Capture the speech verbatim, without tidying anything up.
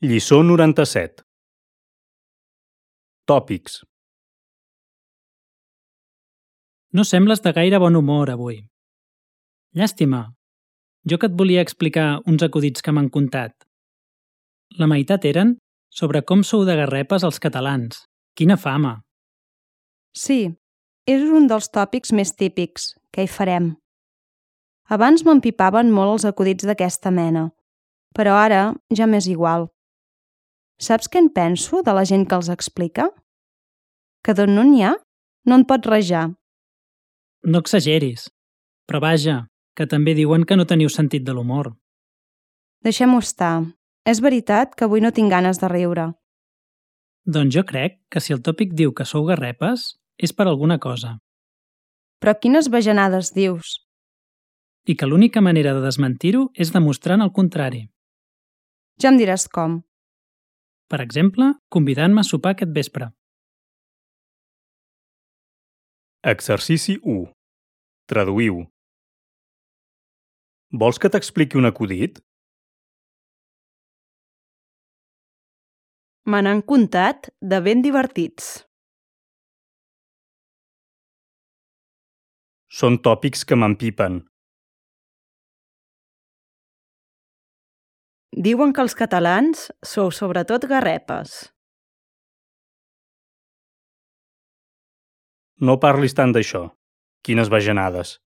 Lliçó noranta-set. Tòpics. No sembles de gaire bon humor avui. Llàstima. Jo que et volia explicar uns acudits que m'han contat. La meitat eren sobre com sou de garrepes els catalans. Quina fama! Sí, és un dels tòpics més típics. Què hi farem? Abans m'empipaven molt els acudits d'aquesta mena, però ara ja m'és igual. Saps què en penso de la gent que els explica? Que d'on no n'hi ha, no en pot rajar. No exageris. Però vaja, que també diuen que no teniu sentit de l'humor. Deixem-ho estar. És veritat que avui no tinc ganes de riure. Doncs jo crec que si el tòpic diu que sou garrepes, és per alguna cosa. Però quines bajanades dius? I que l'única manera de desmentir-ho és demostrant el contrari. Ja em diràs com. Per exemple, convidant-me a sopar aquest vespre. Exercici u. Traduïu. Vols que t'expliqui un acudit? Me n'han contat de ben divertits. Són tòpics que m'empipen. Diuen que els catalans sou sobretot garrepes. No parlis tant d'això. Quines bajanades.